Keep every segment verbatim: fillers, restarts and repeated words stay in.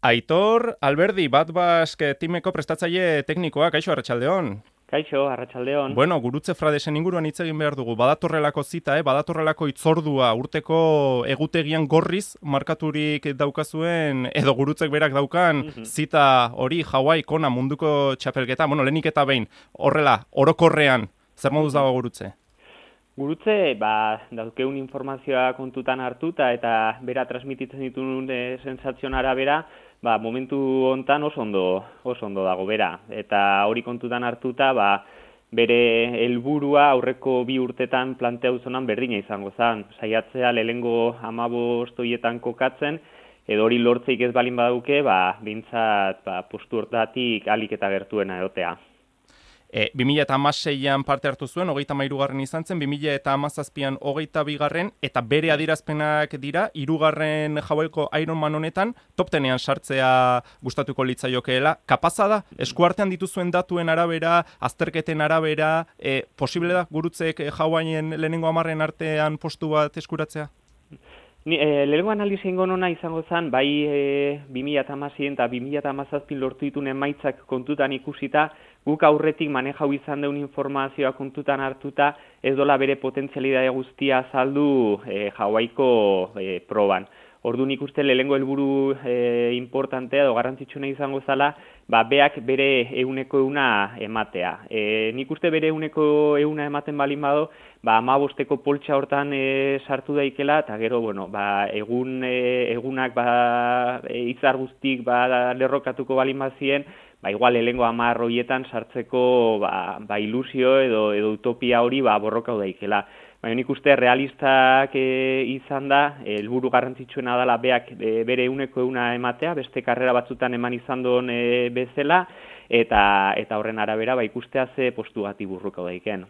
Aitor Alberdi, Bat Basque timeko prestatzaile teknikoa, kaixo, arratsaldeon. Kaixo, arratsaldeon. Bueno, gurutze Fradesen inguruan hitz egin behar dugu. Badatorrelako zita, eh? Badatorrelako hitzordua urteko egutegian gorriz markaturik daukazuen, edo gurutzek berak daukan Mhm. zita hori Hawaii Kona munduko txapelketa. Bueno, lehenik eta behin, horrela, orokorrean, zer moduz dago gurutze? Gurutze, ba, daukeun informazioa kontutan hartuta eta bera transmititzen dituen e, sensazioen arabera, ba, momentu hontan oso ondo, oso ondo dago bera. Eta hori kontutan hartuta, ba, bere helburua aurreko bi urtetan planteatu zonan berdina izango zen. Saiatzea lehengo hamabost horietan kokatzen, edo hori lortzeik ez balin badauke, ba, bintzat ba, postu hortatik alik eta gertuena egotea. E, bi mila hamaseian parte hartu zuen, hogeita hamairugarren izan zen, bi mila hamazazpian hogeita bigarren, eta bere adierazpenak dira, hirugarren Hawaiiko Ironman honetan, top tenean sartzea gustatuko litzaiokeela. Kapaza da, eskuartean dituzuen datuen arabera, azterketen arabera, e, posible da gurutzek Hawaiien lehenengo hamarren artean postu bat eskuratzea? Ni, e, lehenengo analizien gonona izango zen, bai e, bi mila hamasei eta bi mila hamazazpin lortu dituen emaitzak kontutan ikusita, guk aurretik manejau izan deun informazioa kontutan hartuta, ez dola bere potentzialidade guztia azaldu e, Hawaiiko e, proban. Orduan ikuste lehenengo helburu e, importantea edo garrantzitsuna izango zala, ba, beak bere euneko euna ematea. E, nik uste bere euneko euna ematen balin bado, ba, amabosteko poltsa hortan e, sartu daikela, eta gero, bueno, ba, egun, e, egunak ba, e, izar guztik ba, lerrokatuko balin bazien, ba, igual lehengo hamar horietan sartzeko ba, ba, ilusio edo, edo utopia hori ba, borrokau daikela. Baina nik uste realistak e, izan da, helburu garrantzitsuena dela beak e, bere euneko euna ematea, beste karrera batzutan eman izan duen e, bezala, eta, eta horren arabera ba, ikustea ze postu gati burruko daiken.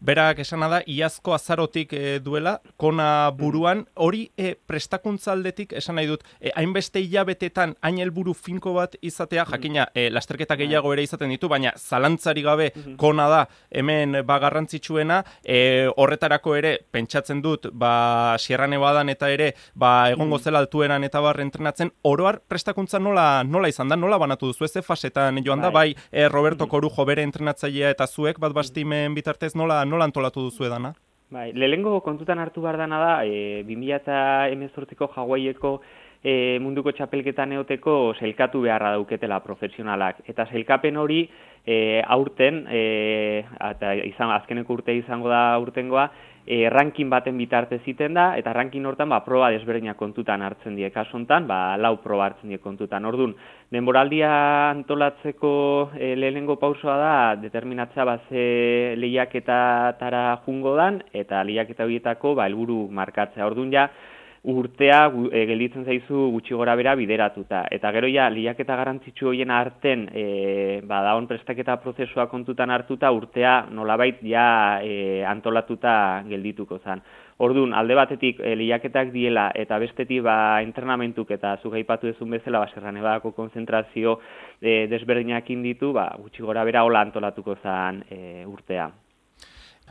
Berak esana da, iazko azarotik e, duela, Kona buruan, hori e, prestakuntza aldetik esan nahi dut, e, hainbeste hilabetetan hain helburu finko bat izatea, jakina, e, lasterketa gehiago ere izaten ditu, baina zalantzari gabe Kona da hemen ba garrantzitsuena, e, horretarako ere, pentsatzen dut, ba Sierra Nevadan eta ere, ba egongo zela altueran eta bar entrenatzen, oroar prestakuntza nola, nola izan da, nola banatu duzu, ez fasetan joan da, bai e, Roberto Corujo bere entrenatzailea eta zuek, bat bastimen bitartez nola nola antolatu duzu edana? Bai, lehenengo kontutan hartu behar dana da, e, bi mila hemezortziko Hawaiiko e, munduko txapelketan eoteko zelkatu beharra dauketela profesionalak. Eta zelkapen hori e, aurten, e, eta izan, azkeneko urte izango da aurtengoa, e, ranking baten bitarte ziten da, eta ranking hortan ba, proba desberdinak kontutan hartzen die. Kasu hontan, ba, lau proba hartzen die kontutan. Orduan, denboraldia antolatzeko e, lehenengo pausoa da, determinatzea ba, ze lehiaketatara jungo dan, eta lehiaketa horietako ba, helburu markatzea. Orduan ja, urtea e, gelditzen zaizu gutxi gora bera bideratuta. Eta gero ja, lehiaketa garrantzitsu horien arten, e, ba, daun prestaketa prozesua kontutan hartuta, urtea nolabait ja e, antolatuta geldituko zen. Orduan, alde batetik e, lehiaketak diela eta bestetik ba, entrenamentuk eta zuk aipatu duzun bezala ba, Sierra Nevadako konzentrazio e, desberdinekin ditu, ba, gutxi gora bera hola antolatuko zen e, urtea.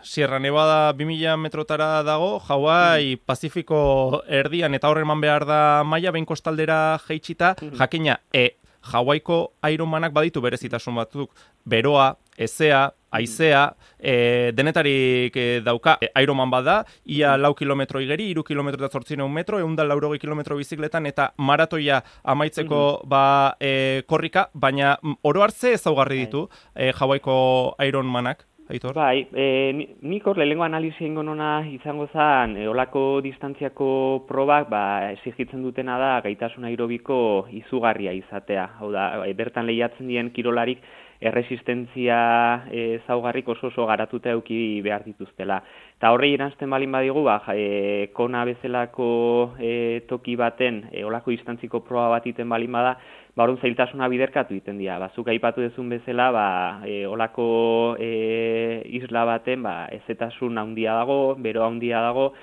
Sierra Nevada bi mila metrotara dago, Hawaii Pazifiko erdian eta horreman behar da maila behin kostaldera jaitsita, jakina, e, Hawaiiko Ironmanak baditu berezitasun batzuk, beroa, ezea, haizea, e, denetarik e, dauka, e, Ironman bada, ia lau kilometro igeri, iru kilometro eta zortzireun metro, egun da laurogei kilometro bizikletan, eta maratoia amaitzeko ba, e, korrika, baina oro hartze ezaugarri ditu e, Hawaiiko Ironmanak. Aitor? Bai, e, nik hor lehenengo analizia ingo nona izango zen, e, olako distantziako probak ba, exigitzen dutena da gaitasun aerobiko izugarria izatea. Hau da, bertan lehiatzen dien kirolarik erresistentzia e, zaugarrik oso oso garatuta euki behar dituztela. Eta horrei eranzten balin badigu, ba, e, Kona bezalako e, toki baten e, olako distantziko proba bat iten balin bada, ba, orduan zailtasuna biderkatu egiten dira. Bazuk aipatu dezun bezala, ba, e, olako e, isla baten ba, ezetasun handia dago, bero handia dago,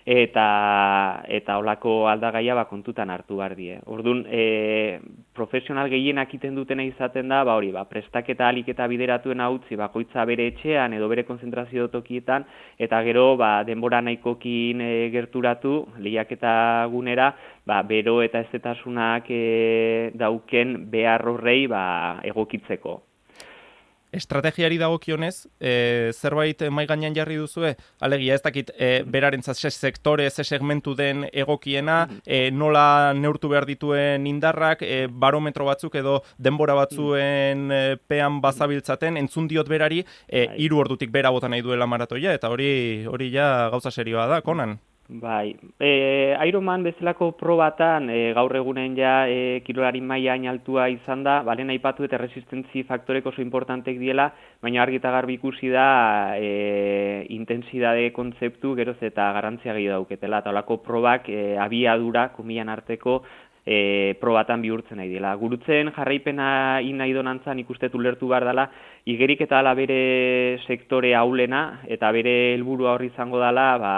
eta eta olako aldagaia ba, kontutan hartu behar die. Orduan, e, profesional gehienak iten dutena izaten da, ba hori, ba, prestaketa alik eta bideratuen utzi bakoitza bere etxean edo bere konzentrazio tokietan, eta gero ba, denbora nahikokin e, gerturatu, lehiaketa gunera, ba, bero eta ezetasunak e, dauken behar horrei ba, egokitzeko. Estrategiari dagokionez, e, zerbait mai gainean jarri duzue? Alegia, ez dakit, e, berarentzat ze sektore, ze segmentu den egokiena, e, nola neurtu behar dituen indarrak, e, barometro batzuk edo denbora batzuen e, pean bazabiltzaten, entzun diot berari, e, hiru ordutik bera bota nahi duela maratoia, eta hori hori ja gauza serioa da, Konan? Bai, e, Ironman bezalako probatan e, gaur egunen ja e, kirolari maila hain altua izan da, balen aipatu eta resistentzi faktorek oso importantek diela, baina argi eta garbi ikusi da e, intensidade kontzeptu geroz eta garantzia gehiago dauketela, eta holako probak e, abiadura, komilan arteko, e, probatan bihurtzen nahi dela. Gurutzen jarraipena in nahi donantzan ikuste ulertu behar dela, igerik eta ala bere sektore aulena, eta bere helburua horri izango dela, ba,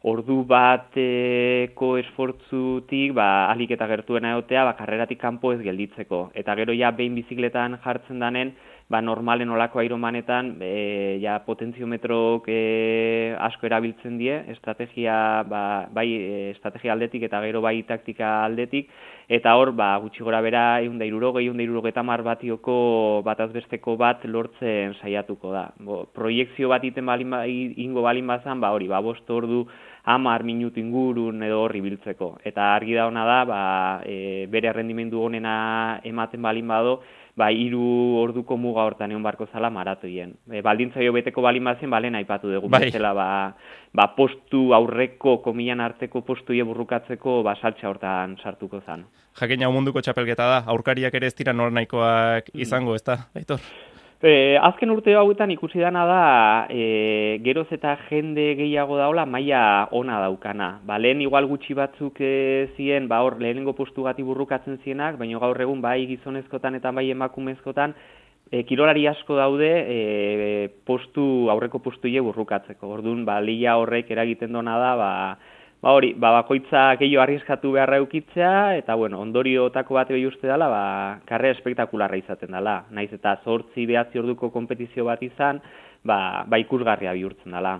ordu bateko esfortzutik ba, alik eta gertuena egotea ba, karreratik kanpo ez gelditzeko. Eta gero ja behin bizikletan jartzen danen, ba, normalen olako Ironmanetan e, ja, potentziometrok e, asko erabiltzen die, estrategia, ba, bai estrategia aldetik eta gero bai taktika aldetik, eta hor ba, gutxi gora bera ehun eta hirurogei, ehun eta hirurogeita hamar batioko batazbesteko bat lortzen saiatuko da. Bo, proiekzio bat iten balin ba, ingo balin bazan, ba, hori, ba, bost ordu hamar minutu ingurun edo horri biltzeko. Eta argi da hona da, ba, e, bere rendimendu honena ematen balin bado, ba, hiru orduko muga hortan egon barko zala maratoien. E, baldintzaio beteko balin bazen, balen aipatu dugu. Bai. Bezala, ba, ba, postu aurreko, komilan arteko postuie burrukatzeko, ba, saltza hortan sartuko zan. Jakina munduko txapelketa da, aurkariak ere ez dira nor nahikoak izango, ez da, Aitor? E, azken urte hauetan ikusi dana da, e, geroz eta jende gehiago daula maila ona daukana. Ba, lehen igual gutxi batzuk e, ziren, ba, hor lehenengo postu gati burrukatzen zienak, baina gaur egun bai gizonezkotan eta bai emakumezkotan, e, kirolari asko daude e, postu, aurreko postuie burrukatzeko. Orduan, ba, lehia horrek eragiten dona da, ba, Ba hori, ba, bakoitza gehiago arriskatu beharra eukitzea, eta bueno, ondoriotako bat behi uste dela, ba, karrera espektakularra izaten dela. Naiz eta zortzi behatzi orduko kompetizio bat izan, ba, ba ikusgarria bihurtzen dela.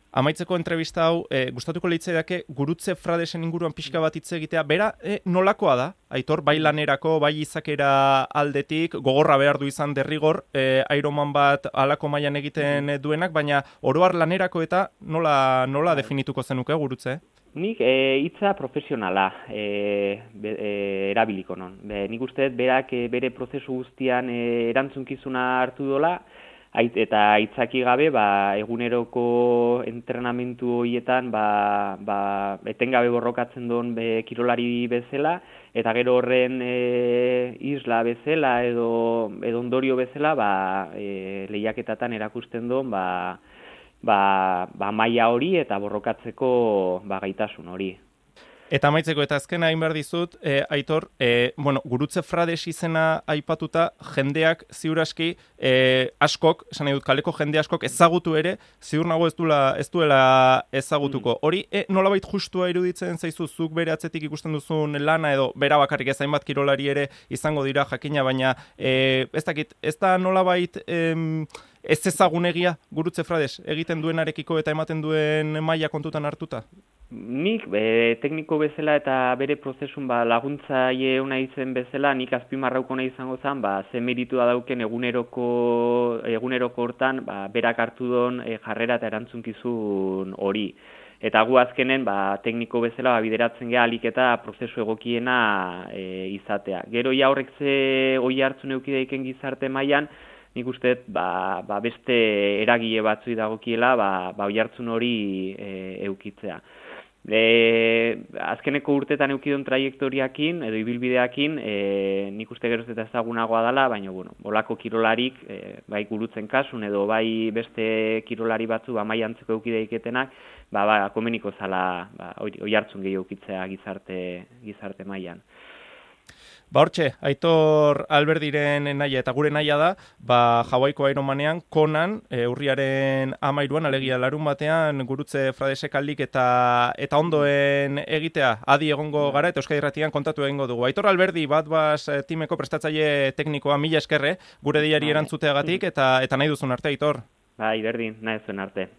Amaitzeko entrevista hau, e, gustatuko litzaidake Gurutze Fradesen inguruan pixka bat hitz egitea, bera e, nolakoa da, Aitor, bai lanerako, bai izakera aldetik, gogorra behar du izan derrigor, e, Ironman bat alako mailan egiten duenak, baina oroar lanerako eta nola, nola definituko zenuke Gurutze? Nik e, hitza profesionala e, be, e, erabiliko non. Be, nik uste berak e, bere prozesu guztian e, erantzunkizuna hartu dola, Ait, eta aitzaki gabe, ba, eguneroko entrenamentu horietan ba, ba, etengabe borrokatzen duen be, kirolari bezala, eta gero horren e, isla bezala edo, edo ondorio bezala ba, e, lehiaketatan erakusten duen ba, ba, ba, maila hori eta borrokatzeko ba, gaitasun hori. Eta amaitzeko eta azkena hain behar dizut, e, Aitor, e, bueno, Gurutze Frades izena aipatuta, jendeak ziuraski e, askok, esan nahi dut kaleko jende askok ezagutu ere, ziur nago ez duela, ez duela ezagutuko. Hori, e, nolabait justua iruditzen zaizu zuk bere atzetik ikusten duzun lana edo bera bakarrik ez hainbat kirolari ere izango dira jakina, baina e, ez dakit, ez da nolabait em, ez ezagunegia Gurutze Frades egiten duenarekiko eta ematen duen maila kontutan hartuta? Nik e, tekniko bezala eta bere prozesun ba, laguntzaile ona izen bezala, nik azpimarrauko nahi izango zen, ba, ze meritu da dauken eguneroko, eguneroko hortan, ba, berak hartu don e, jarrera eta erantzunkizun hori. Eta gu azkenen ba, tekniko bezala ba, bideratzen geha alik eta prozesu egokiena e, izatea. Gero ja horrek ze oi hartzun eukideiken gizarte mailan, nik uste ba, ba, beste eragile batzui dagokiela ba, ba, oi hartzun hori e, eukitzea. E, azkeneko urtetan eukidon trajektoriakin edo ibilbideakin e, nik uste geroz eta ezagunagoa dela, baina bueno, bolako kirolarik e, bai Gurutzen kasun edo bai beste kirolari batzu ba, mai antzeko eukideiketenak ba, ba, komeniko zala ba, oi hartzun gehiago eukitzea gizarte, gizarte mailan. Ba hortxe, Aitor Alberdiren naia eta gure naia da, ba Hawaiiko Ironmanean konan e, urriaren hamairuan alegia larun batean gurutze Fradesek aldik eta eta ondoen egitea adi egongo gara eta Euskadi Irratian kontatu egingo dugu. Aitor Alberdi bat bas timeko prestatzaile teknikoa mila eskerre gure diari erantzuteagatik eta eta nahi duzun arte Aitor. Bai, berdin, nahi zuen arte.